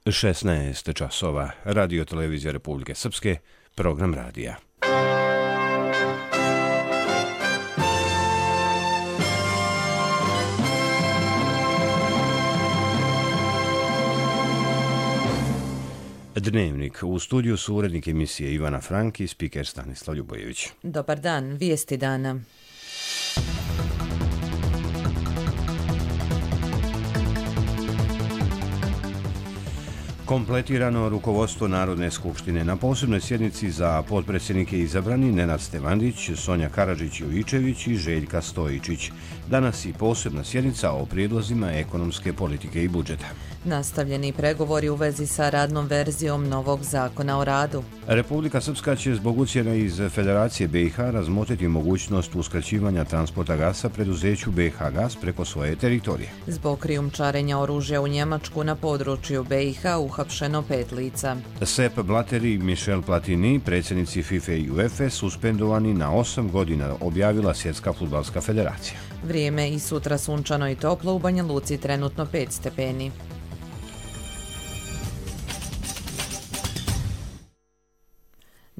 16 časova. Radio Televizija Republike Srpske, program radija. Dnevnik. U studiju su urednik emisije Ivana Frank i spiker Stanislav Ljubojević. Dobar dan, vijesti dana. Kompletirano rukovodstvo Narodne skupštine. Na posebnoj sjednici za potpredsjednike izabrani Nenad Stevandić, Sonja Karadžić-Jovičević i Željka Stojičić. Danas i posebna sjednica o prijedlozima ekonomske politike i budžeta. Nastavljeni pregovori u vezi sa radnom verzijom novog zakona o radu. Republika Srpska će zbog ucjena iz Federacije BiH razmotriti mogućnost uskraćivanja transporta gasa preduzeću BiH Gas preko svoje teritorije. Zbog krijumčarenja oružja u Njemačku na području BiH uhapšeno 5 lica. Sepp Blatter i Michel Platini, predsjednici FIFA i UEFA, suspendovani na 8 godina, objavila Svjetska fudbalska federacija. Vrijeme i sutra sunčano i toplo, u Banja Luci trenutno 5 stepeni.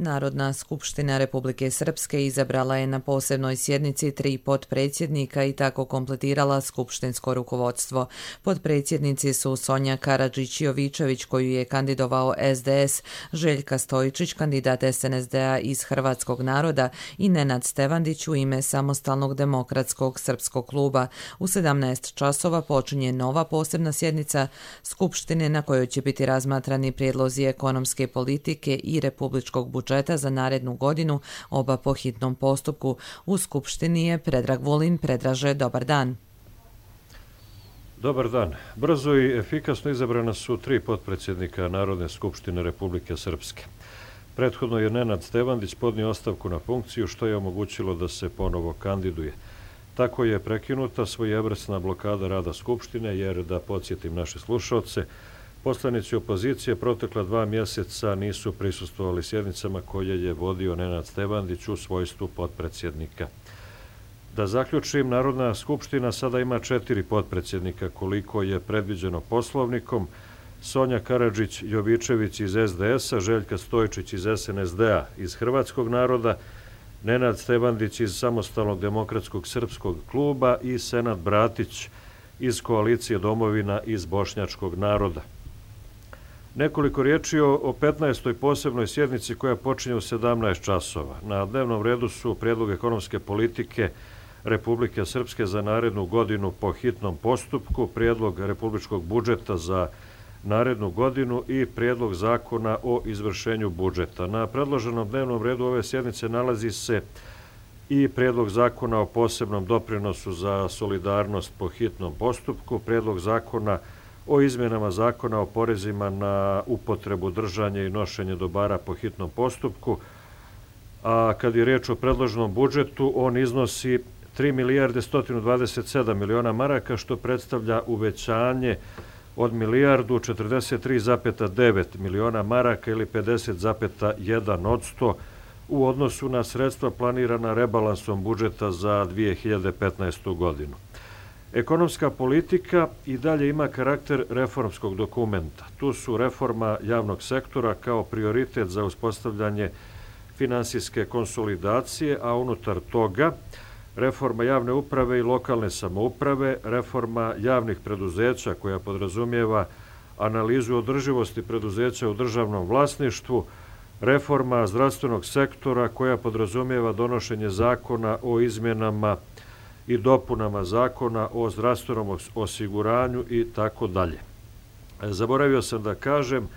Narodna skupština Republike Srpske izabrala je na posebnoj sjednici 3 potpredsjednika i tako kompletirala skupštinsko rukovodstvo. Potpredsjednici su Sonja Karadžić-Jovičević, koju je kandidovao SDS, Željka Stojičić, kandidat SNSD-a iz Hrvatskog naroda, i Nenad Stevandić u ime Samostalnog demokratskog srpskog kluba. U 17 časova počinje nova posebna sjednica skupštine na kojoj će biti razmatrani prijedlozi ekonomske politike i republičkog budžeta za narednu godinu, oba po hitnom postupku. U skupštini je Predrag Vulin. Predraže, dobar dan. Dobar dan. Brzo i efikasno izabrana su 3 potpredsjednika Narodne skupštine Republike Srpske. Prethodno je Nenad Stevandić podnio ostavku na funkciju, što je omogućilo da se ponovo kandiduje. Tako je prekinuta svojevrsna blokada rada skupštine, jer, da podsjetim naše slušaoce, poslanici opozicije protekla 2 mjeseca nisu prisustvovali sjednicama koje je vodio Nenad Stevandić u svojstvu potpredsjednika. Da zaključim, Narodna skupština sada ima 4 potpredsjednika koliko je predviđeno poslovnikom: Sonja Karadžić-Jovičević iz SDS-a, Željka Stojičić iz SNSD-a iz Hrvatskog naroda, Nenad Stevandić iz Samostalnog demokratskog srpskog kluba i Senad Bratić iz Koalicije domovina iz Bošnjačkog naroda. Nekoliko riječi o 15. posebnoj sjednici koja počinje u 17 časova. Na dnevnom redu su prijedlog ekonomske politike Republike Srpske za narednu godinu po hitnom postupku, prijedlog republičkog budžeta za narednu godinu i prijedlog zakona o izvršenju budžeta. Na predloženom dnevnom redu ove sjednice nalazi se i prijedlog zakona o posebnom doprinosu za solidarnost po hitnom postupku, prijedlog zakona o izmjenama zakona o porezima na upotrebu, držanje i nošenje dobara po hitnom postupku, a kad je riječ o predloženom budžetu, on iznosi 3 milijarde 127 miliona maraka, što predstavlja uvećanje od milijardu 43,9 miliona maraka ili 50,1% u odnosu na sredstva planirana rebalansom budžeta za 2015. godinu. Ekonomska politika i dalje ima karakter reformskog dokumenta. Tu su reforma javnog sektora kao prioritet za uspostavljanje finansijske konsolidacije, a unutar toga reforma javne uprave i lokalne samouprave, reforma javnih preduzeća koja podrazumijeva analizu održivosti preduzeća u državnom vlasništvu, reforma zdravstvenog sektora koja podrazumijeva donošenje zakona o izmjenama i dopunama zakona o zdravstvenom osiguranju i tako dalje. Zaboravio sam da kažem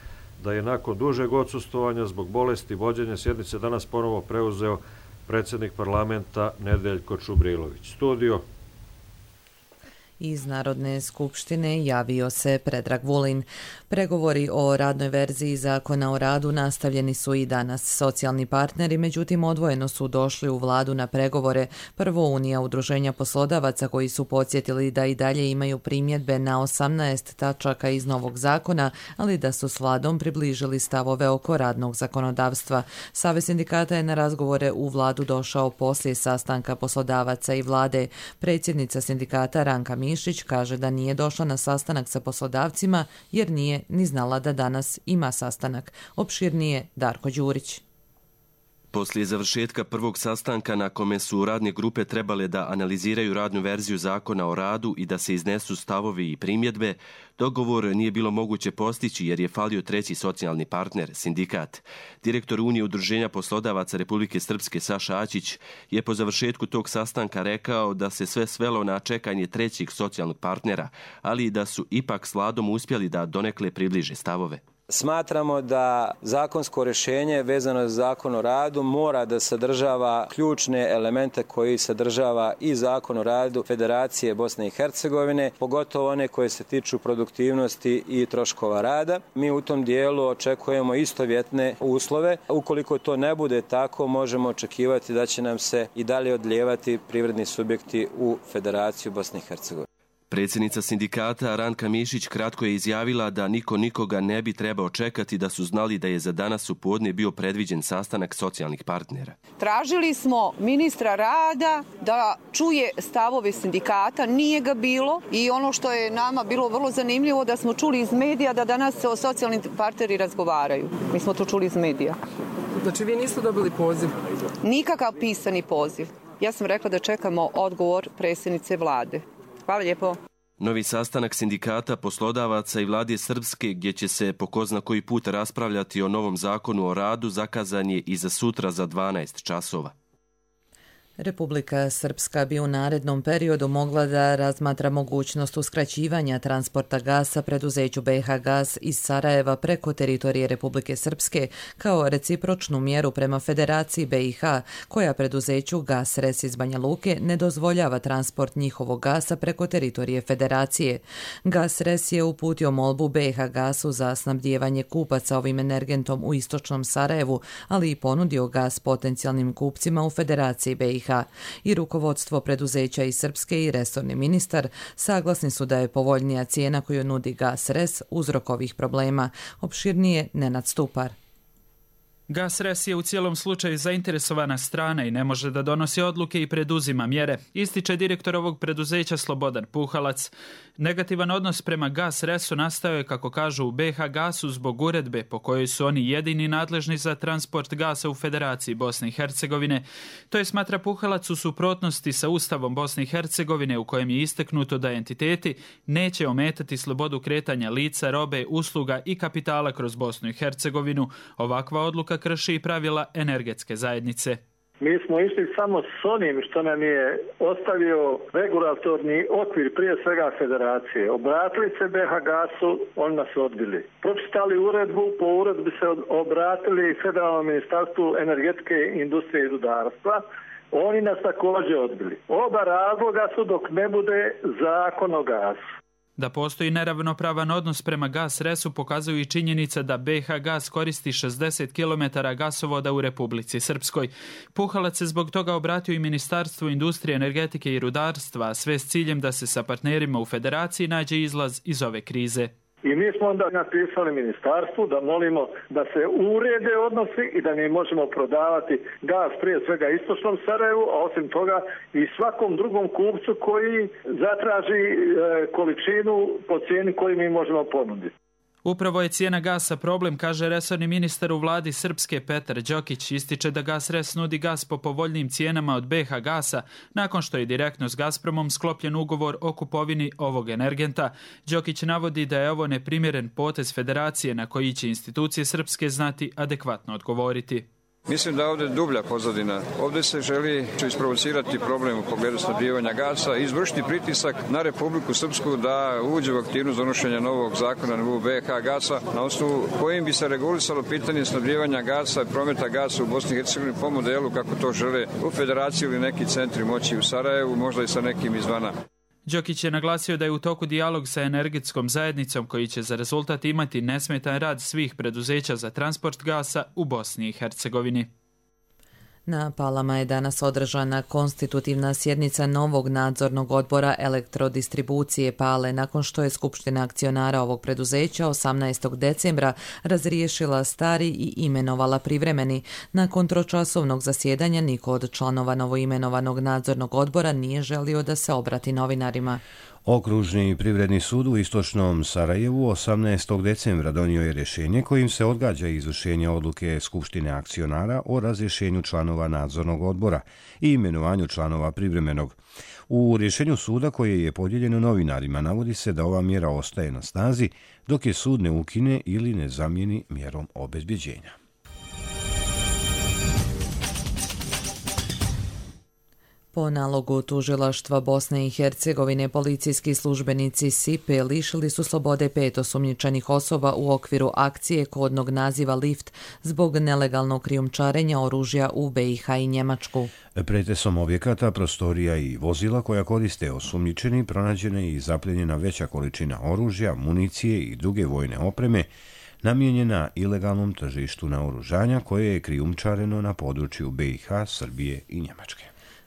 da je nakon dužeg odsustvovanja zbog bolesti vođenja sjednice danas ponovo preuzeo predsjednik parlamenta Nedeljko Čubrilović. Studio. Iz Narodne skupštine javio se Predrag Vulin. Pregovori o radnoj verziji zakona o radu nastavljeni su i danas. Socijalni partneri, međutim, odvojeno su došli u vladu na pregovore. Prvo Unija udruženja poslodavaca, koji su podsjetili da i dalje imaju primjedbe na 18 tačaka iz novog zakona, ali da su s vladom približili stavove oko radnog zakonodavstva. Savez sindikata je na razgovore u vladu došao poslije sastanka poslodavaca i vlade. Predsjednica sindikata Ranka Mišević Mišić kaže da nije došla na sastanak sa poslodavcima jer nije ni znala da danas ima sastanak. Opširnije Darko Đurić. Poslije završetka prvog sastanka na kome su radne grupe trebale da analiziraju radnu verziju zakona o radu i da se iznesu stavovi i primjedbe, dogovor nije bilo moguće postići jer je falio treći socijalni partner, sindikat. Direktor Unije udruženja poslodavaca Republike Srpske Saša Aćić je po završetku tog sastanka rekao da se sve svelo na čekanje trećeg socijalnog partnera, ali da su ipak s Vladom uspjeli da donekle približe stavove. Smatramo da zakonsko rješenje vezano za zakon o radu mora da sadržava ključne elemente koji sadržava i zakon o radu Federacije Bosne i Hercegovine, pogotovo one koje se tiču produktivnosti i troškova rada. Mi u tom dijelu očekujemo istovjetne uslove. Ukoliko to ne bude tako, možemo očekivati da će nam se i dalje odlijevati privredni subjekti u Federaciju Bosne i Hercegovine. Predsjednica sindikata Ranka Mišić kratko je izjavila da niko nikoga ne bi trebao čekati da su znali da je za danas u podne bio predviđen sastanak socijalnih partnera. Tražili smo ministra rada da čuje stavove sindikata, nije ga bilo i ono što je nama bilo vrlo zanimljivo da smo čuli iz medija da danas se o socijalnim partneri razgovaraju. Mi smo to čuli iz medija. Znači vi niste dobili poziv? Nikakav pisani poziv. Ja sam rekla da čekamo odgovor predsjednice vlade. Hvala lijepo. Novi sastanak sindikata, poslodavaca i vlade Srpske, gdje će se po ko zna koji put raspravljati o novom zakonu o radu, zakazan je i za sutra za 12 časova. Republika Srpska bi u narednom periodu mogla da razmatra mogućnost uskraćivanja transporta gasa preduzeću BiH Gas iz Sarajeva preko teritorije Republike Srpske kao recipročnu mjeru prema Federaciji BiH, koja preduzeću GasRes iz Banja Luke ne dozvoljava transport njihovog gasa preko teritorije Federacije. GasRes je uputio molbu BiH Gasu za snabdijevanje kupaca ovim energentom u istočnom Sarajevu, ali i ponudio gas potencijalnim kupcima u Federaciji BiH. I rukovodstvo preduzeća iz Srpske i resorni ministar saglasni su da je povoljnija cijena koju nudi GasRes uzrok ovih problema. Opširnije Nenad Stupar. GasRes je u cijelom slučaju zainteresovana strana i ne može da donosi odluke i preduzima mjere, ističe direktor ovog preduzeća Slobodan Puhalac. Negativan odnos prema GasResu nastao je, kako kažu u BiH Gasu, zbog uredbe po kojoj su oni jedini nadležni za transport gasa u Federaciji Bosne i Hercegovine. To je, smatra Puhalac, u suprotnosti sa Ustavom Bosne i Hercegovine u kojem je istaknuto da entiteti neće ometati slobodu kretanja lica, robe, usluga i kapitala kroz Bosnu i Hercegovinu. Ovakva odluka krši i pravila energetske zajednice. Mi smo išli samo s onim što nam je ostavio regulatorni okvir, prije svega Federacije. Obratili se BiH Gasu, oni nas odbili. Pročitali uredbu, po uredbi se obratili Federalnom ministarstvu energetike, industrije i rudarstva. Oni nas također odbili. Oba razloga su dok ne bude zakon o gasu. Da postoji neravnopravan odnos prema GasResu pokazuju i činjenica da BiH Gas koristi 60 km gasovoda u Republici Srpskoj. Puhalac se zbog toga obratio i Ministarstvu industrije, energetike i rudarstva, sve s ciljem da se sa partnerima u Federaciji nađe izlaz iz ove krize. I mi smo onda napisali ministarstvu da molimo da se urede odnosi i da mi možemo prodavati gas prije svega istočnom Sarajevu, a osim toga i svakom drugom kupcu koji zatraži količinu po cijeni koju mi možemo ponuditi. Upravo je cijena gasa problem, kaže resorni ministar u vladi Srpske Petar Đokić. Ističe da GasRes nudi gas po povoljnim cijenama od BiH Gasa nakon što je direktno s Gazpromom sklopljen ugovor o kupovini ovog energenta. Đokić navodi da je ovo neprimjeren potez Federacije na koji će institucije Srpske znati adekvatno odgovoriti. Mislim da ovdje je dublja pozadina. Ovdje se želi isprovocirati problem u pogledu snabdijevanja gasa i izvršiti pritisak na Republiku Srpsku da uđe u aktivnost donošenja novog zakona na BiH Gasa, na osnovu kojim bi se regulisalo pitanje snabdijevanja gasa i prometa gasa u Bosni i Hercegovini po modelu kako to žele u Federaciji ili neki centri moći u Sarajevu, možda i sa nekim izvana. Đokić je naglasio da je u toku dijalog sa energetskom zajednicom koji će za rezultat imati nesmetan rad svih preduzeća za transport gasa u Bosni i Hercegovini. Na Palama je danas održana konstitutivna sjednica novog nadzornog odbora elektrodistribucije Pale nakon što je Skupština akcionara ovog preduzeća 18. decembra razriješila stari i imenovala privremeni. Nakon tročasovnog zasjedanja niko od članova novoimenovanog nadzornog odbora nije želio da se obrati novinarima. Okružni privredni sud u istočnom Sarajevu 18. decembra donio je rješenje kojim se odgađa izvršenje odluke Skupštine akcionara o razrješenju članova nadzornog odbora i imenovanju članova privremenog. U rješenju suda koje je podijeljeno novinarima navodi se da ova mjera ostaje na snazi dok je sud ne ukine ili ne zamijeni mjerom obezbjeđenja. Po nalogu tužilaštva Bosne i Hercegovine, policijski službenici SIPE lišili su slobode 5 osumnjičenih osoba u okviru akcije kodnog naziva Lift zbog nelegalnog krijumčarenja oružja u BiH i Njemačku. Pretresom objekata, prostorija i vozila koja koriste osumnjičeni pronađena i zapljenjena veća količina oružja, municije i druge vojne opreme namijenjena ilegalnom tržištu naoružanja koje je krijumčareno na području BiH, Srbije i Njemačke.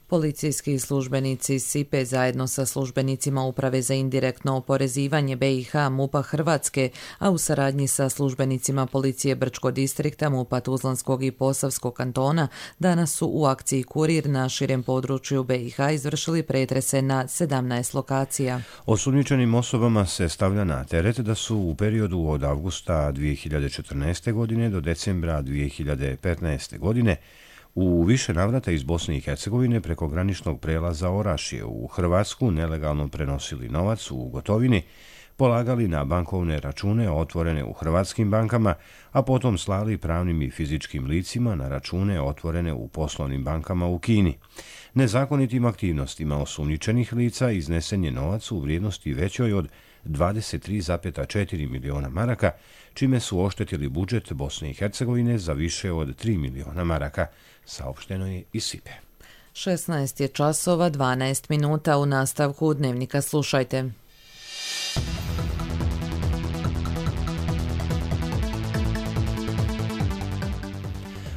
Policijski službenici SIPE zajedno sa službenicima Uprave za indirektno oporezivanje BiH MUP-a Hrvatske, a u saradnji sa službenicima Policije Brčko distrikta MUP-a Tuzlanskog i Posavskog kantona danas su u akciji Kurir na širem području BiH izvršili pretrese na 17 lokacija. Osumnjičenim osobama se stavlja na teret da su u periodu od avgusta 2014. godine do decembra 2015. godine u više navrata iz Bosne i Hercegovine preko graničnog prelaza Orašje u Hrvatsku nelegalno prenosili novac u gotovini, polagali na bankovne račune otvorene u hrvatskim bankama, a potom slali pravnim i fizičkim licima na račune otvorene u poslovnim bankama u Kini. Nezakonitim aktivnostima osumnjičenih lica iznesen je novac u vrijednosti većoj od 23,4 miliona maraka, čime su oštetili budžet Bosne i Hercegovine za više od 3 miliona maraka, saopšteno je iz SIPE. 16 je časova, 12 minuta. U nastavku Dnevnika slušajte.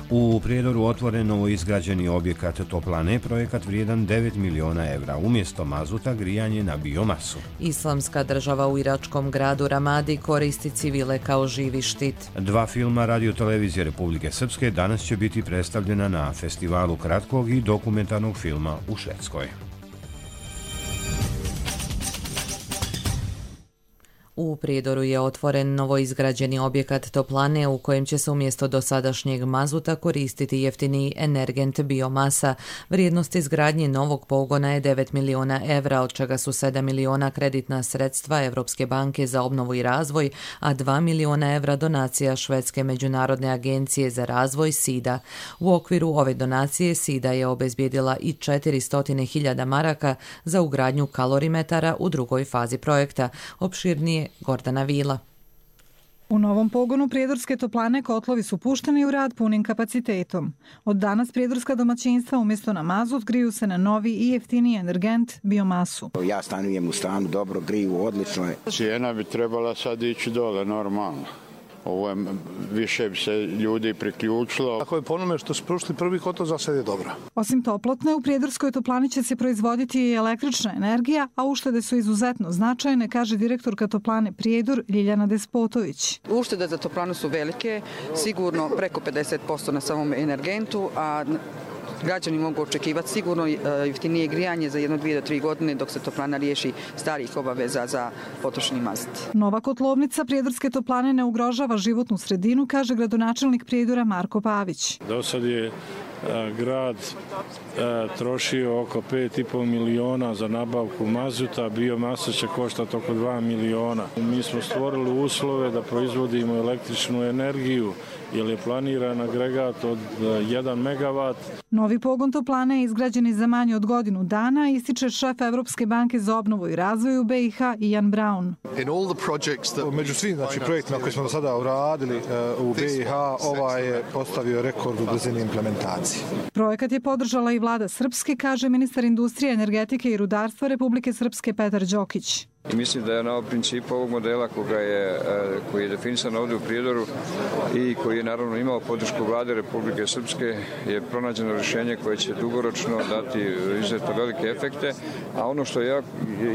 U Prijedoru otvoren novoizgrađeni objekat toplane, projekat vrijedan 9 miliona evra, umjesto mazuta grijanje na biomasu. Islamska država u iračkom gradu Ramadi koristi civile kao živi štit. 2 filma Radio-televizije Republike Srpske danas će biti predstavljena na festivalu kratkog i dokumentarnog filma u Švedskoj. U Prijedoru je otvoren novoizgrađeni objekat toplane u kojem će se umjesto dosadašnjeg mazuta koristiti jeftiniji energent biomasa. Vrijednost izgradnje novog pogona je 9 miliona evra, od čega su 7 miliona kreditna sredstva Evropske banke za obnovu i razvoj, a 2 miliona evra donacija Švedske međunarodne agencije za razvoj SIDA. U okviru ove donacije SIDA je obezbijedila i 400.000 maraka za ugradnju kalorimetara u drugoj fazi projekta. Opširnije Gordana Vila. U novom pogonu prijedorske toplane kotlovi su pušteni u rad punim kapacitetom. Od danas prijedorska domaćinstva umjesto na mazut griju se na novi i jeftiniji energent biomasu. Ja stanujem u stanu, dobro griju, odlično je. Cijena bi trebala sad ići dole, normalno. Ovo je, više bi se ljudi priključilo. Ako je po onome što su prošli prvi kotlo, za sad je dobro. Osim toplotne, u prijedorskoj toplani će se proizvoditi i električna energija, a uštede su izuzetno značajne, kaže direktorka toplane Prijedor Ljiljana Despotović. Uštede za toplanu su velike, sigurno preko 50% na samom energentu, a građani mogu očekivati sigurno jeftinije grijanje za 1, 2 do 3 godine dok se toplana riješi starih obaveza za potrošeni mazut. Nova kotlovnica prijedorske toplane ne ugrožava životnu sredinu, kaže gradonačelnik Prijedora Marko Pavić. Do sad je grad trošio oko 5,5 miliona za nabavku mazuta, biomasa će koštati oko 2 miliona. Mi smo stvorili uslove da proizvodimo električnu energiju, jer je planiran agregat od 1 megavat. Novi pogon toplane je izgrađen za manje od godinu dana, ističe šef Evropske banke za obnovu i razvoj u BiH Ian Brown. Među svim projektima koje smo do sada uradili u BiH, ovaj je postavio rekord u brzini implementacije. Projekat je podržala i vlada Srpske, kaže ministar industrije, energetike i rudarstva Republike Srpske Petar Đokić. I mislim da je na principu ovog modela koji je definisan ovdje u Prijedoru i koji je naravno imao podršku vlade Republike Srpske je pronađeno rješenje koje će dugoročno dati izuzetno velike efekte, a ono što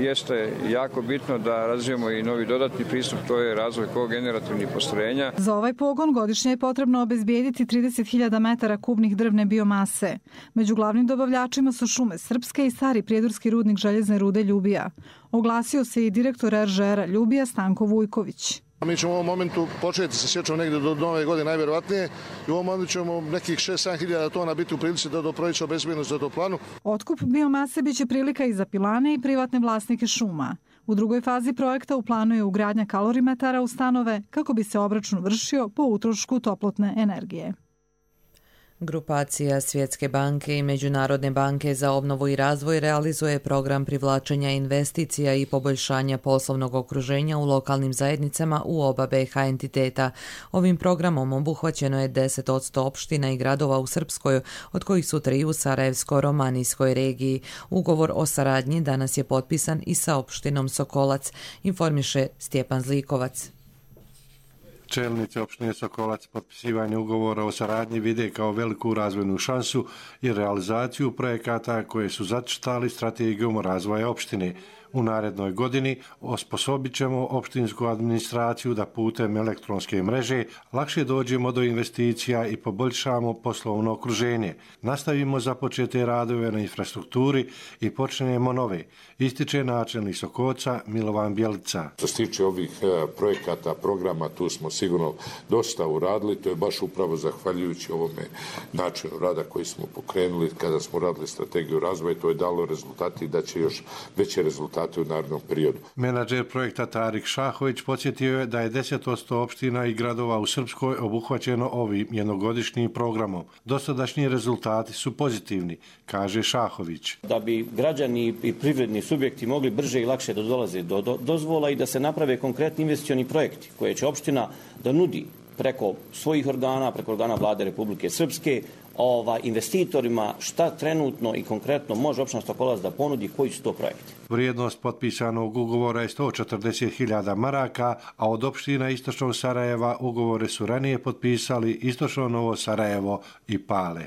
jeste jako bitno da razvijemo i novi dodatni pristup, to je razvoj kogenerativnih postrojenja. Za ovaj pogon godišnje je potrebno obezbijediti 30.000 metara kubnih drvne biomase. Među glavnim dobavljačima su Šume Srpske i stari prijedorski rudnik željezne rude Ljubija. Oglasio se i direktor RŽR-a Ljubija Stanko Vujković. Mi ćemo u ovom momentu početi sa sječom negdje do nove godine najvjerovatnije i u ovom momentu ćemo nekih 6-7 hiljada tona biti u prilici da do proljeća obezbedimo za toplanu. Otkup biomase biće prilika i za pilane i privatne vlasnike šuma. U drugoj fazi projekta u planu je ugradnja kalorimetara u stanove kako bi se obračun vršio po utrošku toplotne energije. Grupacija Svjetske banke i Međunarodne banke za obnovu i razvoj realizuje program privlačenja investicija i poboljšanja poslovnog okruženja u lokalnim zajednicama u oba BiH entiteta. Ovim programom obuhvaćeno je 10% opština i gradova u Srpskoj, od kojih su 3 u Sarajevsko-Romanijskoj regiji. Ugovor o saradnji danas je potpisan i sa opštinom Sokolac, informiše Stjepan Zlikovac. Čelnici opštine Sokolac potpisivanje ugovora o saradnji vide kao veliku razvojnu šansu i realizaciju projekata koje su zacrtali strategijom razvoja opštine. U narednoj godini osposobit ćemo opštinsku administraciju da putem elektronske mreže lakše dođemo do investicija i poboljšamo poslovno okruženje. Nastavimo započete radove na infrastrukturi i počnemo nove, ističe načelnik Sokolca Milovan Bjelica. Što se tiče ovih projekata, programa, tu smo sigurno dosta uradili, to je baš upravo zahvaljujući ovome načinu rada koji smo pokrenuli kada smo radili strategiju razvoja, to je dalo rezultati i da će još veće rezultate u narednom periodu. Menadžer projekta Tarik Šahović podsjetio je da je 10% opština i gradova u Srpskoj obuhvaćeno ovim jednogodišnjim programom. Dosadašnji rezultati su pozitivni, kaže Šahović. Da bi građani i privredni subjekti mogli brže i lakše da dolaze do dozvola i da se naprave konkretni investicioni projekti koje će opština da nudi preko svojih organa, preko organa vlade Republike Srpske, investitorima šta trenutno i konkretno može opština Sokolac da ponudi, koji su to projekti. Vrijednost potpisanog ugovora je 140.000 maraka, a od opština Istočnog Sarajeva ugovore su ranije potpisali Istočno Novo Sarajevo i Pale.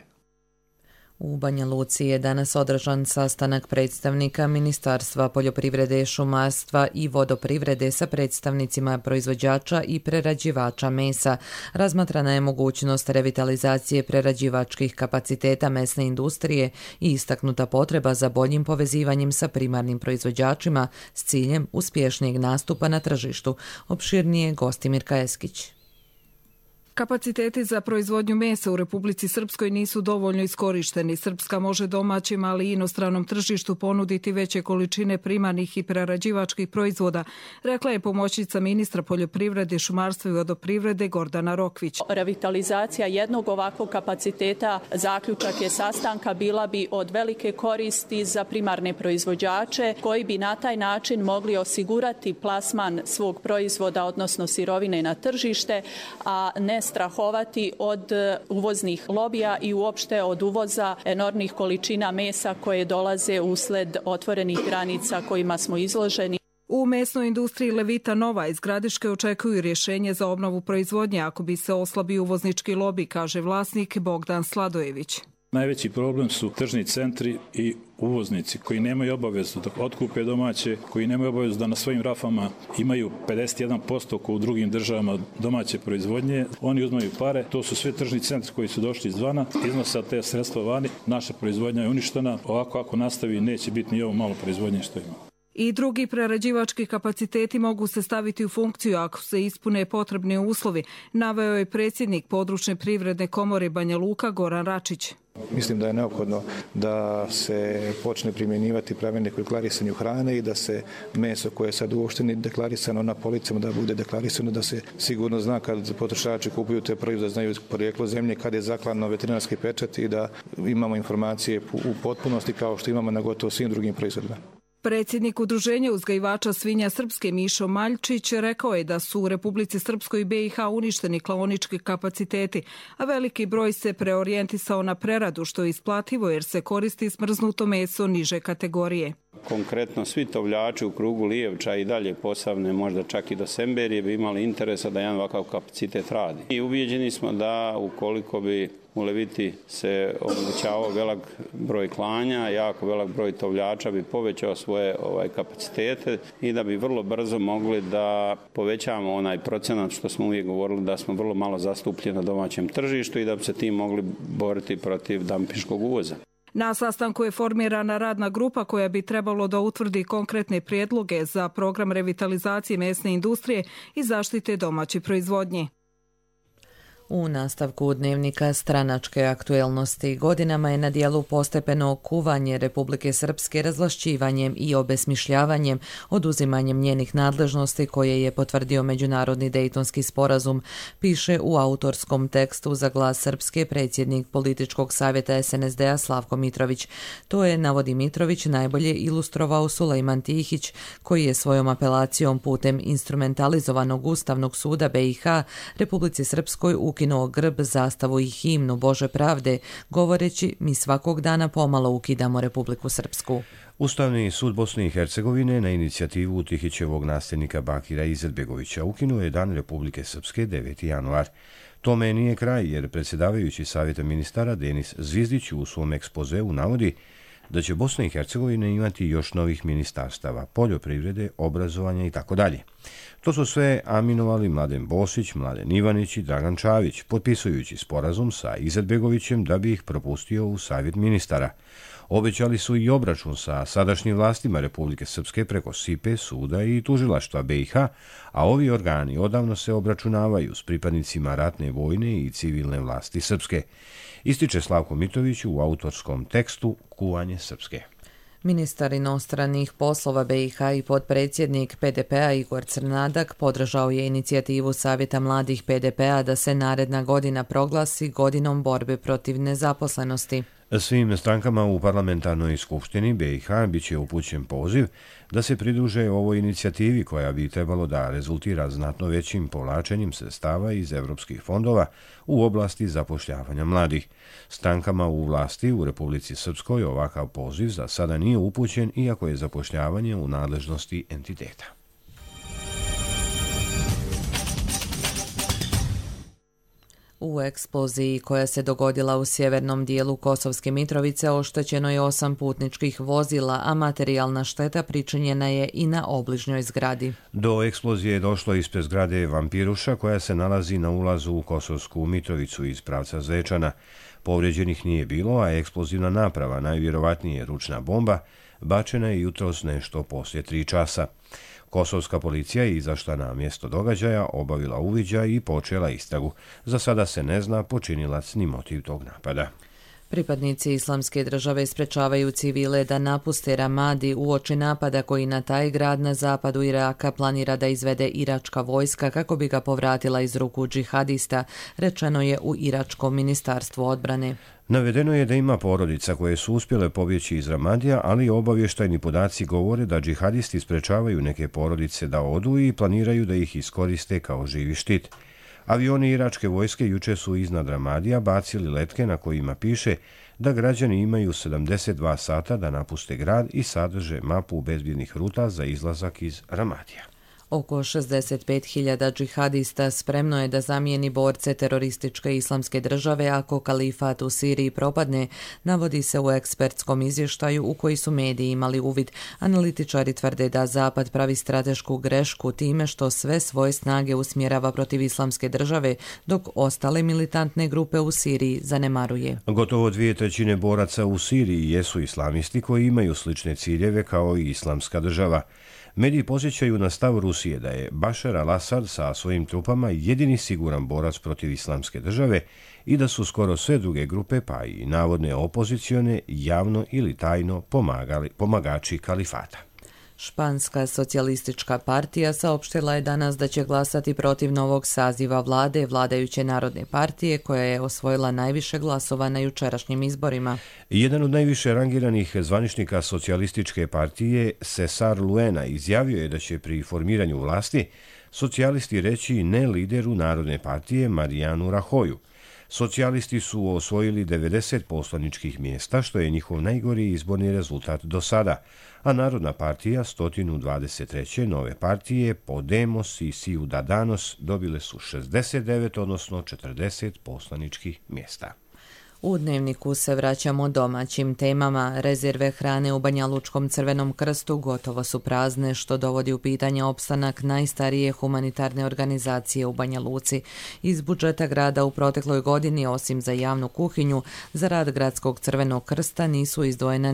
U Banja Luci je danas održan sastanak predstavnika Ministarstva poljoprivrede, šumarstva i vodoprivrede sa predstavnicima proizvođača i prerađivača mesa. Razmatrana je mogućnost revitalizacije prerađivačkih kapaciteta mesne industrije i istaknuta potreba za boljim povezivanjem sa primarnim proizvođačima s ciljem uspješnijeg nastupa na tržištu. Opširnije Gostimir Kajeskić. Kapaciteti za proizvodnju mesa u Republici Srpskoj nisu dovoljno iskorišteni. Srpska može domaćim, ali i inostranom tržištu ponuditi veće količine primarnih i prerađivačkih proizvoda, rekla je pomoćnica ministra poljoprivrede, šumarstva i vodoprivrede Gordana Rokvić. Revitalizacija jednog ovakvog kapaciteta, zaključak je sastanka, bila bi od velike koristi za primarne proizvođače koji bi na taj način mogli osigurati plasman svog proizvoda, odnosno sirovine na tržište, a ne strahovati od uvoznih lobija i uopšte od uvoza enormnih količina mesa koje dolaze usled otvorenih granica kojima smo izloženi. U mesnoj industriji Levita Nova iz Gradiške očekuju rješenje za obnovu proizvodnje ako bi se oslabio uvoznički lobi, kaže vlasnik Bogdan Sladojević. Najveći problem su tržni centri i uvoznici koji nemaju obavezu da otkupe domaće, koji nemaju obavezu da na svojim rafama imaju 51% kao u drugim državama domaće proizvodnje. Oni uzmaju pare, to su sve tržni centri koji su došli izvana, iznose te sredstva vani, naša proizvodnja je uništena, ovako ako nastavi neće biti ni ovo malo proizvodnje što ima. I drugi prerađivački kapaciteti mogu se staviti u funkciju ako se ispune potrebni uslovi, naveo je predsjednik područne privredne komore Banja Luka Goran Račić. Mislim da je neophodno da se počne primjenjivati pravilnik o deklarisanju hrane i da se meso koje je sad u opštini deklarisano na policama da bude deklarisano, da se sigurno zna kad potrošači kupuju te proizvode, znaju porijeklo zemlje, kad je zakladno veterinarski pečat i da imamo informacije u potpunosti kao što imamo na gotovo svim drugim proizvodima. Predsjednik Udruženja uzgajivača svinja Srpske Mišo Maljčić rekao je da su u Republici Srpskoj i BiH uništeni klaonički kapaciteti, a veliki broj se preorijentisao na preradu, što je isplativo jer se koristi smrznuto meso niže kategorije. Konkretno svi tovljači u krugu Lijevča i dalje Posavne, možda čak i do Semberije, bi imali interesa da jedan ovakav kapacitet radi. I ubijeđeni smo da ukoliko bi u Leviti se omogućavao velik broj klanja, jako velik broj tovljača bi povećao svoje kapacitete i da bi vrlo brzo mogli da povećamo onaj procenat što smo uvijek govorili da smo vrlo malo zastupljeni na domaćem tržištu i da bi se tim mogli boriti protiv dampinškog uvoza. Na sastanku je formirana radna grupa koja bi trebalo da utvrdi konkretne prijedloge za program revitalizacije mesne industrije i zaštite domaće proizvodnje. U nastavku dnevnika stranačke aktuelnosti godinama je na dijelu postepeno kuvanje Republike Srpske razvlašćivanjem i obesmišljavanjem, oduzimanjem njenih nadležnosti koje je potvrdio Međunarodni Dejtonski sporazum, piše u autorskom tekstu za Glas Srpske predsjednik političkog savjeta SNSD-a Slavko Mitrović. To je, navodi Mitrović, najbolje ilustrovao Sulejman Tihić, koji je svojom apelacijom putem instrumentalizovanog Ustavnog suda BiH Republici Srpskoj ukinuo grb, zastavu i himnu Bože pravde, govoreći mi svakog dana pomalo ukidamo Republiku Srpsku. Ustavni sud Bosne i Hercegovine na inicijativu Tihićevog nasljednika Bakira Izetbegovića ukinuo je Dan Republike Srpske 9. januar. Tome nije kraj, jer predsjedavajući Savjeta ministara Denis Zvizdić u svom ekspozeu navodi da će Bosna i Hercegovina imati još novih ministarstava, poljoprivrede, obrazovanja itd. To su sve aminovali Mladen Bosić, Mladen Ivanić i Dragan Čavić, potpisujući sporazum sa Izetbegovićem da bi ih propustio u Savjet ministara. Obećali su i obračun sa sadašnjim vlastima Republike Srpske preko SIPE, suda i tužilaštva BiH, a ovi organi odavno se obračunavaju s pripadnicima ratne, vojne i civilne vlasti Srpske. Ističe Slavko Mitrović u autorskom tekstu Kuvanje Srpske. Ministar inostranih poslova BiH i potpredsjednik PDP-a Igor Crnadak podržao je inicijativu Savjeta mladih PDP-a da se naredna godina proglasi godinom borbe protiv nezaposlenosti. Svim strankama u parlamentarnoj skupštini BiH biće upućen poziv da se pridruže ovoj inicijativi koja bi trebalo da rezultira znatno većim povlačenjem sredstava iz evropskih fondova u oblasti zapošljavanja mladih. Strankama u vlasti u Republici Srpskoj ovakav poziv za sada nije upućen, iako je zapošljavanje u nadležnosti entiteta. U eksploziji koja se dogodila u sjevernom dijelu Kosovske Mitrovice oštećeno je 8 putničkih vozila, a materijalna šteta pričinjena je i na obližnjoj zgradi. Do eksplozije je došlo ispred zgrade Vampiruša koja se nalazi na ulazu u Kosovsku Mitrovicu iz pravca Zvečana. Povrijeđenih nije bilo, a eksplozivna naprava, najvjerovatnije ručna bomba, bačena je jutros nešto poslije 3 časa. Kosovska policija je izašla na mjesto događaja, obavila uviđaj i počela istragu. Za sada se ne zna počinilac ni motiv tog napada. Pripadnici Islamske države sprečavaju civile da napuste Ramadi uoči napada koji na taj grad na zapadu Iraka planira da izvede iračka vojska kako bi ga povratila iz ruku džihadista, rečeno je u iračkom ministarstvu odbrane. Navedeno je da ima porodica koje su uspjele pobjeći iz Ramadija, ali obavještajni podaci govore da džihadisti sprečavaju neke porodice da odu i planiraju da ih iskoriste kao živi štit. Avioni iračke vojske juče su iznad Ramadija bacili letke na kojima piše da građani imaju 72 sata da napuste grad i sadrže mapu bezbjednih ruta za izlazak iz Ramadija. Oko 65.000 džihadista spremno je da zamijeni borce terorističke Islamske države ako kalifat u Siriji propadne, navodi se u ekspertskom izvještaju u koji su mediji imali uvid. Analitičari tvrde da Zapad pravi stratešku grešku time što sve svoje snage usmjerava protiv Islamske države, dok ostale militantne grupe u Siriji zanemaruje. Gotovo 2/3 boraca u Siriji jesu islamisti koji imaju slične ciljeve kao i Islamska država. Mediji posjećaju na stav Rusije da je Bašar al-Asad sa svojim trupama jedini siguran borac protiv Islamske države i da su skoro sve druge grupe, pa i navodne opozicione, javno ili tajno pomagači kalifata. Španska socijalistička partija saopštila je danas da će glasati protiv novog saziva vlade vladajuće Narodne partije koja je osvojila najviše glasova na jučerašnjim izborima. Jedan od najviše rangiranih zvaničnika socijalističke partije, Cesar Luena, izjavio je da će pri formiranju vlasti socijalisti reći ne lideru Narodne partije Marianu Rahoju. Socijalisti su osvojili 90 poslaničkih mjesta, što je njihov najgori izborni rezultat do sada, a Narodna partija 123. nove partije Podemos i Ciudadanos dobile su 69, odnosno 40 poslaničkih mjesta. U Dnevniku se vraćamo domaćim temama. Rezerve hrane u Banjalučkom Crvenom krstu gotovo su prazne, što dovodi u pitanje opstanak najstarije humanitarne organizacije u Banja Luci. Iz budžeta grada u protekloj godini, osim za javnu kuhinju, za rad Gradskog Crvenog krsta nisu izdvojena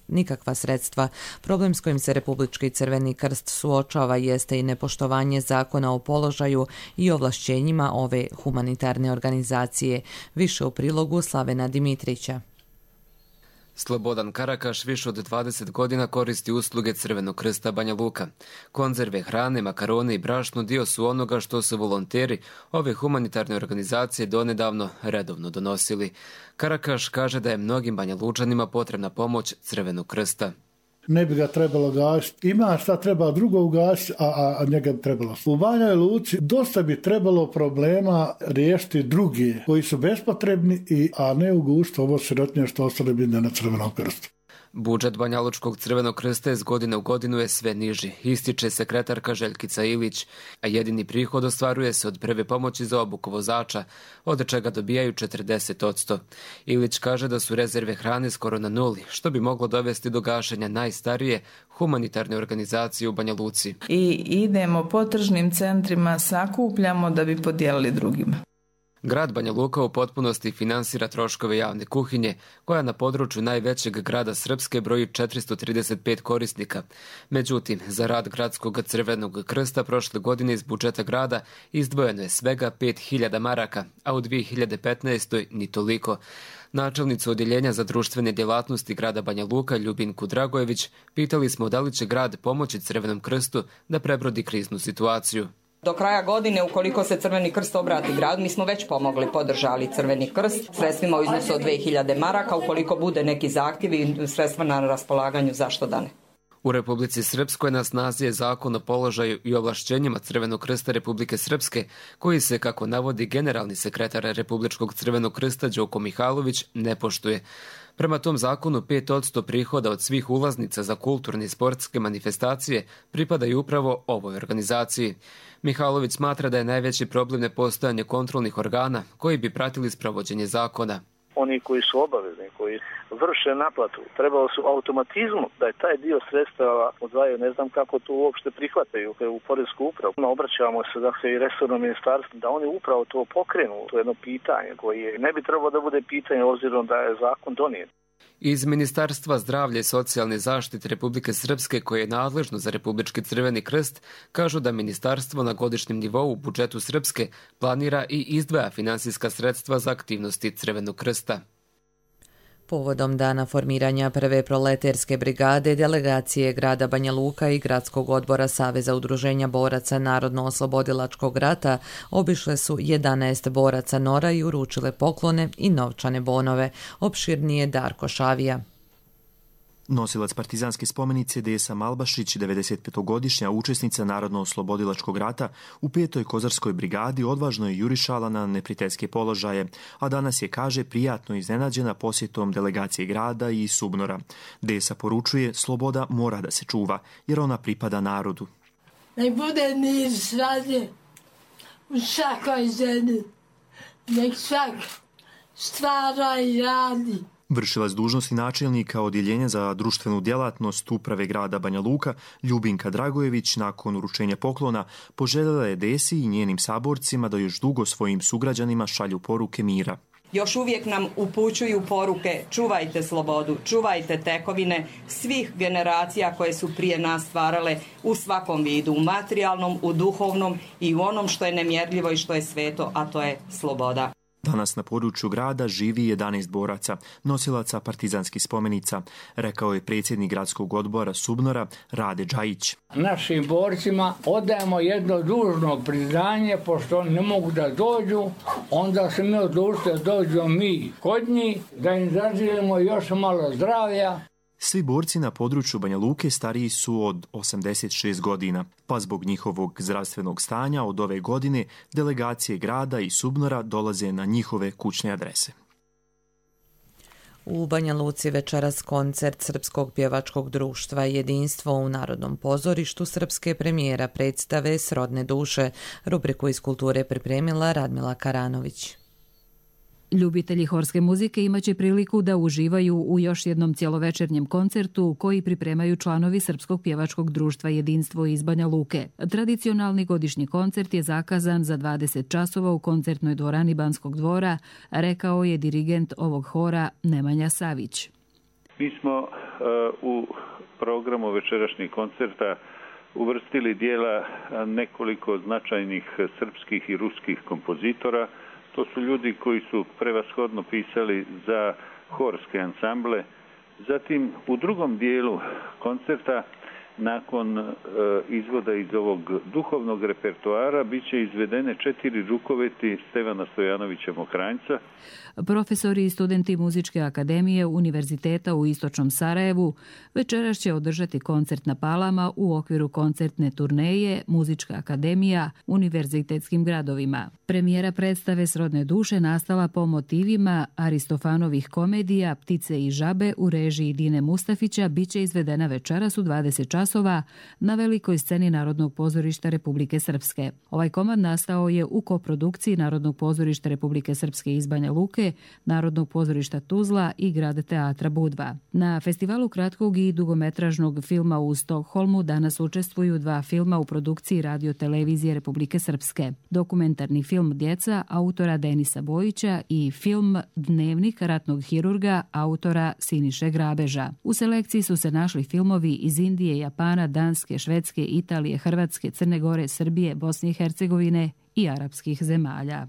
nikakva sredstva. Problem s kojim se Republički Crveni krst suočava jeste i nepoštovanje zakona o položaju i ovlašćenjima ove humanitarne organizacije. Više u prilogu Slavena Dimitrića. Slobodan Karakaš više od 20 godina koristi usluge Crvenog krsta Banja Luka. Konzerve, hrane, makarone i brašno dio su onoga što su volonteri ove humanitarne organizacije donedavno redovno donosili. Karakaš kaže da je mnogim Banja Lučanima potrebna pomoć Crvenog krsta. Ne bi ga trebalo gasiti. Ima šta treba drugo ugasiti, a njega bi trebalo. U Banjoj Luci dosta bi trebalo problema riješiti drugi koji su bespotrebni, a ne ugušiti ovo sirotinje što ostale bi na Crvenom krstu. Budžet Banjalučkog Crvenog krsta iz godine u godinu je sve niži, ističe sekretarka Željkica Ilić, a jedini prihod ostvaruje se od prve pomoći za obuku vozača, od čega dobijaju 40%. Ilić kaže da su rezerve hrane skoro na nuli, što bi moglo dovesti do gašenja najstarije humanitarne organizacije u Banja Luci. I idemo po tržnim centrima, sakupljamo da bi podijelili drugima. Grad Banja Luka u potpunosti finansira troškove javne kuhinje, koja na području najvećeg grada Srpske broji 435 korisnika. Međutim, za rad Gradskog Crvenog krsta prošle godine iz budžeta grada izdvojeno je svega 5000 maraka, a u 2015. ni toliko. Načelnicu odjeljenja za društvene djelatnosti grada Banja Luka Ljubinku Dragojević pitali smo da li će grad pomoći Crvenom krstu da prebrodi kriznu situaciju. Do kraja godine, ukoliko se Crveni krst obrati gradu, mi smo već pomogli, podržali Crveni krst sredstvima u iznosu od 2000 maraka, ukoliko bude neki zahtjev i sredstva na raspolaganju, zašto da ne. U Republici Srpskoj na snazi je zakon o položaju i ovlašćenjima Crvenog krsta Republike Srpske, koji se, kako navodi generalni sekretar Republičkog Crvenog krsta Đoko Mihalović, ne poštuje. Prema tom zakonu 5% prihoda od svih ulaznica za kulturne i sportske manifestacije pripadaju upravo ovoj organizaciji. Mihalović smatra da je najveći problem nepostojanje kontrolnih organa koji bi pratili sprovođenje zakona. Oni koji su obavezni, koji vrše naplatu, trebalo su automatizmu da je taj dio sredstava odvajaju. Ne znam kako to uopšte prihvataju u poresku upravu. Obraćamo se i resornom ministarstvu da oni upravo to pokrenu. To je jedno pitanje koje ne bi trebalo da bude pitanje obzirom da je zakon donijet. Iz Ministarstva zdravlja i socijalne zaštite Republike Srpske, koje je nadležno za Republički Crveni krst, kažu da ministarstvo na godišnjem nivou u budžetu Srpske planira i izdvaja finansijska sredstva za aktivnosti Crvenog krsta. Povodom dana formiranja prve proleterske brigade, delegacije grada Banja Luka i Gradskog odbora Saveza udruženja boraca Narodno-oslobodilačkog rata obišle su 11 boraca Nora i uručile poklone i novčane bonove. Opširnije Darko Šavija. Nosilac partizanske spomenice Desa Malbašić, 95-godišnja učesnica Narodno-oslobodilačkog rata, u 5. kozarskoj brigadi odvažno je jurišala na neprijateljske položaje, a danas je, kaže, prijatno iznenađena posjetom delegacije grada i Subnora. Desa poručuje, sloboda mora da se čuva, jer ona pripada narodu. Nek bude mir svadje u svakoj zemlji, nek svak stvara i radi. Vršilac dužnosti načelnika odjeljenja za društvenu djelatnost uprave grada Banja Luka, Ljubinka Dragojević, nakon uručenja poklona, poželjela je Desi i njenim saborcima da još dugo svojim sugrađanima šalju poruke mira. Još uvijek nam upućuju poruke: čuvajte slobodu, čuvajte tekovine svih generacija koje su prije nas stvarale u svakom vidu, u materijalnom, u duhovnom i u onom što je nemjerljivo i što je sveto, a to je sloboda. Danas na području grada živi 11 boraca, nosilaca partizanskih spomenica, rekao je predsjednik gradskog odbora Subnora Rade Džajić. Našim borcima odajemo jedno dužno priznanje, pošto oni ne mogu da dođu, onda se mi odlučili da dođemo mi kod njih, da im zaželimo još malo zdravlja. Svi borci na području Banja Luke stariji su od 86 godina, pa zbog njihovog zdravstvenog stanja od ove godine delegacije grada i Subnora dolaze na njihove kućne adrese. U Banja Luci večeras koncert Srpskog pjevačkog društva Jedinstvo u Narodnom pozorištu srpske premijera predstave Srodne duše. Rubriku iz kulture pripremila Radmila Karanović. Ljubitelji horske muzike imaće priliku da uživaju u još jednom cjelovečernjem koncertu koji pripremaju članovi Srpskog pjevačkog društva Jedinstvo iz Banja Luke. Tradicionalni godišnji koncert je zakazan za 20 časova u koncertnoj dvorani Banskog dvora, rekao je dirigent ovog hora Nemanja Savić. Mi smo u programu večerašnjeg koncerta uvrstili dijela nekoliko značajnih srpskih i ruskih kompozitora. To su ljudi koji su prevashodno pisali za horske ansamble. Zatim u drugom dijelu koncerta, nakon izvoda iz ovog duhovnog repertoara, bit će izvedene 4 rukoveti Stevana Stojanovića Mokranjca. Profesori i studenti Muzičke akademije Univerziteta u Istočnom Sarajevu večeras će održati koncert na Palama u okviru koncertne turneje Muzička akademija univerzitetskim gradovima. Premijera predstave Srodne duše nastala po motivima Aristofanovih komedija Ptice i žabe u režiji Dine Mustafića biće izvedena večeras u 20 časova na velikoj sceni Narodnog pozorišta Republike Srpske. Ovaj komad nastao je u koprodukciji Narodnog pozorišta Republike Srpske iz Banja Luke, Narodnog pozorišta Tuzla i Grad teatra Budva. Na festivalu kratkog i dugometražnog filma u Stokholmu danas učestvuju 2 filma u produkciji Radio-televizije Republike Srpske. Dokumentarni film Djeca autora Denisa Bojića i film Dnevnik ratnog hirurga autora Siniše Grabeža. U selekciji su se našli filmovi iz Indije, Japana, Danske, Švedske, Italije, Hrvatske, Crne Gore, Srbije, Bosne i Hercegovine i arapskih zemalja.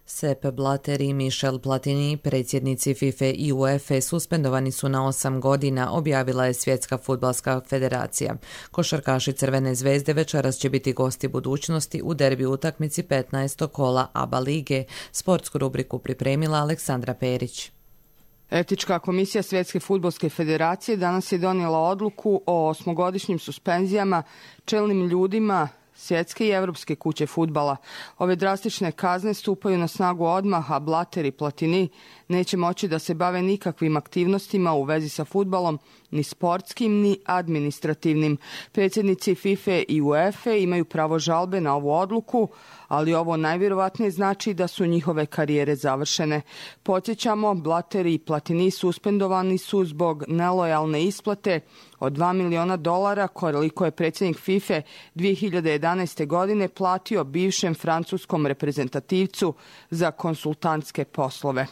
Sepp Blatter i Michel Platini, predsjednici FIFA i UEFA, suspendovani su na 8 godina, objavila je Svjetska fudbalska federacija. Košarkaši Crvene zvezde večeras će biti gosti budućnosti u derbi utakmici 15. kola ABA lige. Sportsku rubriku pripremila Aleksandra Perić. Etička komisija Svjetske fudbalske federacije danas je donijela odluku o 8-godišnjim suspenzijama čelnim ljudima Svjetske i Evropske kuće fudbala. Ove drastične kazne stupaju na snagu odmah, a Blatter i Platini neće moći da se bave nikakvim aktivnostima u vezi sa fudbalom, ni sportskim, ni administrativnim. Predsjednici FIFA i UEFA imaju pravo žalbe na ovu odluku, ali ovo najvjerovatnije znači da su njihove karijere završene. Podsjećamo, Blatter i Platini suspendovani su zbog nelojalne isplate od $2 miliona, koliko je predsjednik FIFA 2011. godine platio bivšem francuskom reprezentativcu za konsultantske poslove.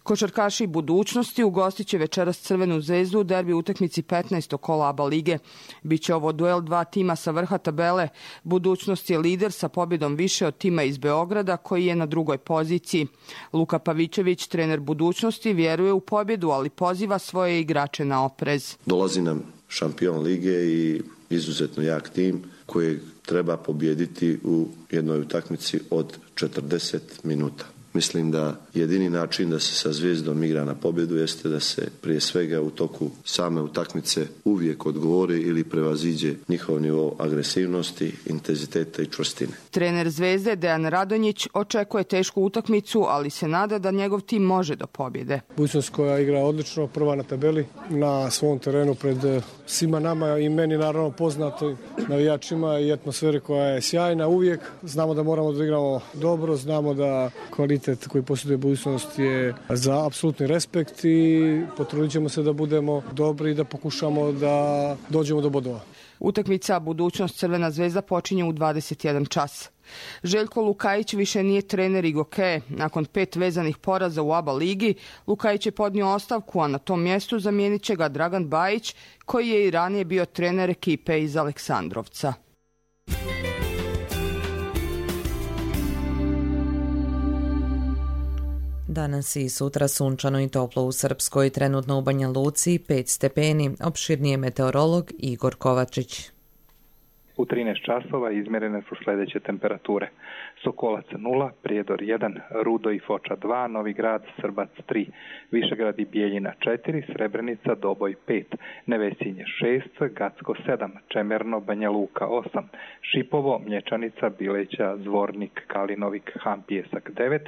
Košarkaši budućnosti ugostit će večeras Crvenu zvezdu u derbi utakmici 15. kola ABA lige. Biće ovo duel 2 tima sa vrha tabele. Budućnost je lider sa pobjedom više od tima iz Beograda koji je na drugoj poziciji. Luka Pavićević, trener budućnosti, vjeruje u pobjedu, ali poziva svoje igrače na oprez. Dolazi nam šampion lige i izuzetno jak tim koji treba pobijediti u jednoj utakmici od 40 minuta. Mislim da jedini način da se sa Zvijezdom igra na pobjedu jeste da se prije svega u toku same utakmice uvijek odgovori ili prevaziđe njihov nivo agresivnosti, intenziteta i čvrstine. Trener Zvezde Dejan Radonjić očekuje tešku utakmicu, ali se nada da njegov tim može do pobjede. Budućnost koja igra odlično, prva na tabeli, na svom terenu pred svima nama i meni naravno poznato navijačima i atmosferi koja je sjajna uvijek. Znamo da moramo da igramo dobro, znamo da kvalitet koji posjeduje budućnost je za apsolutni respekt i potrudit ćemo se da budemo dobri i da pokušamo da dođemo do bodova. Utakmica budućnost Crvena zvezda počinje u 21 čas. Željko Lukajić više nije trener Igoke. Nakon 5 vezanih poraza u ABA ligi, Lukajić je podnio ostavku, a na tom mjestu zamijenit će ga Dragan Bajić, koji je i ranije bio trener ekipe iz Aleksandrovca. Danas i sutra sunčano i toplo u Srpskoj, trenutno u Banja Luci 5 stepeni, opširnije meteorolog Igor Kovačić. U 13 časova izmjerene su sljedeće temperature. Sokolac 0, Prijedor 1, Rudo i Foča 2, Novi Grad, Srbac 3, Višegrad i Bijeljina 4, Srebrenica, Doboj 5, Nevesinje 6, Gacko 7, Čemerno, Banja Luka 8, Šipovo, Mlječanica, Bileća, Zvornik, Kalinovik, Hampijesak 9,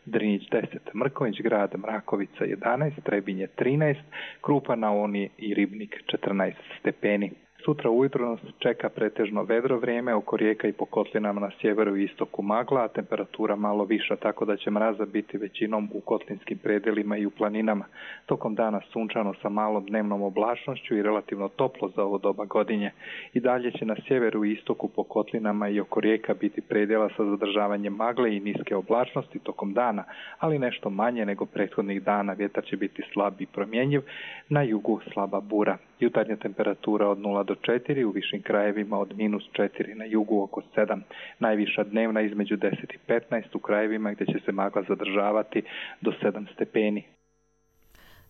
Drinić 10, Mrković Grad, Mrakovica 11, Trebinje 13, Krupa na Oni i Ribnik 14 stepeni. Sutra ujutro nas čeka pretežno vedro vrijeme, oko rijeka i po kotlinama na sjeveru i istoku magla, a temperatura malo viša, tako da će mraza biti većinom u kotlinskim predelima i u planinama. Tokom dana sunčano sa malom dnevnom oblačnošću i relativno toplo za ovo doba godine. I dalje će na sjeveru i istoku po kotlinama i oko rijeka biti predjela sa zadržavanjem magle i niske oblačnosti tokom dana, ali nešto manje nego prethodnih dana. Vjetar će biti slab i promjenjiv, na jugu slaba bura. Jutarnja temperatura od 0 do 4, u višim krajevima od -4, na jugu oko 7. Najviša dnevna između 10 i 15 u krajevima gdje će se magla zadržavati do 7 stepeni.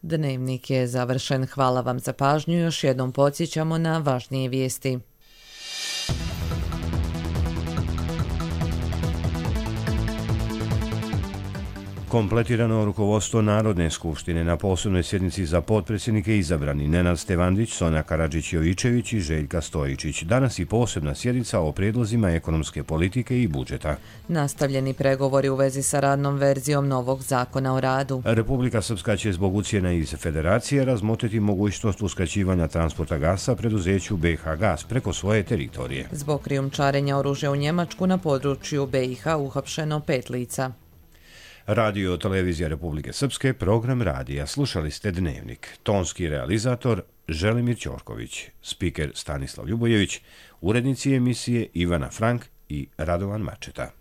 Dnevnik je završen. Hvala vam za pažnju. Još jednom podsjećamo na važnije vijesti. Kompletirano rukovodstvo Narodne skupštine na posebnoj sjednici za potpredsjednike izabrani Nenad Stevandić, Sonja Karadžić-Jovičević i Željka Stojičić. Danas i posebna sjednica o prijedlozima ekonomske politike i budžeta. Nastavljeni pregovori u vezi sa radnom verzijom novog zakona o radu. Republika Srpska će zbog ucjena iz Federacije razmotriti mogućnost uskraćivanja transporta gasa preduzeću BiH Gas preko svoje teritorije. Zbog krijumčarenja oružja u Njemačku na području BiH uhapšeno 5 lica. Radio Televizija Republike Srpske, program radija. Slušali ste Dnevnik. Tonski realizator Želimir Ćorković, spiker Stanislav Ljubojević, urednici emisije Ivana Frank i Radovan Mačeta.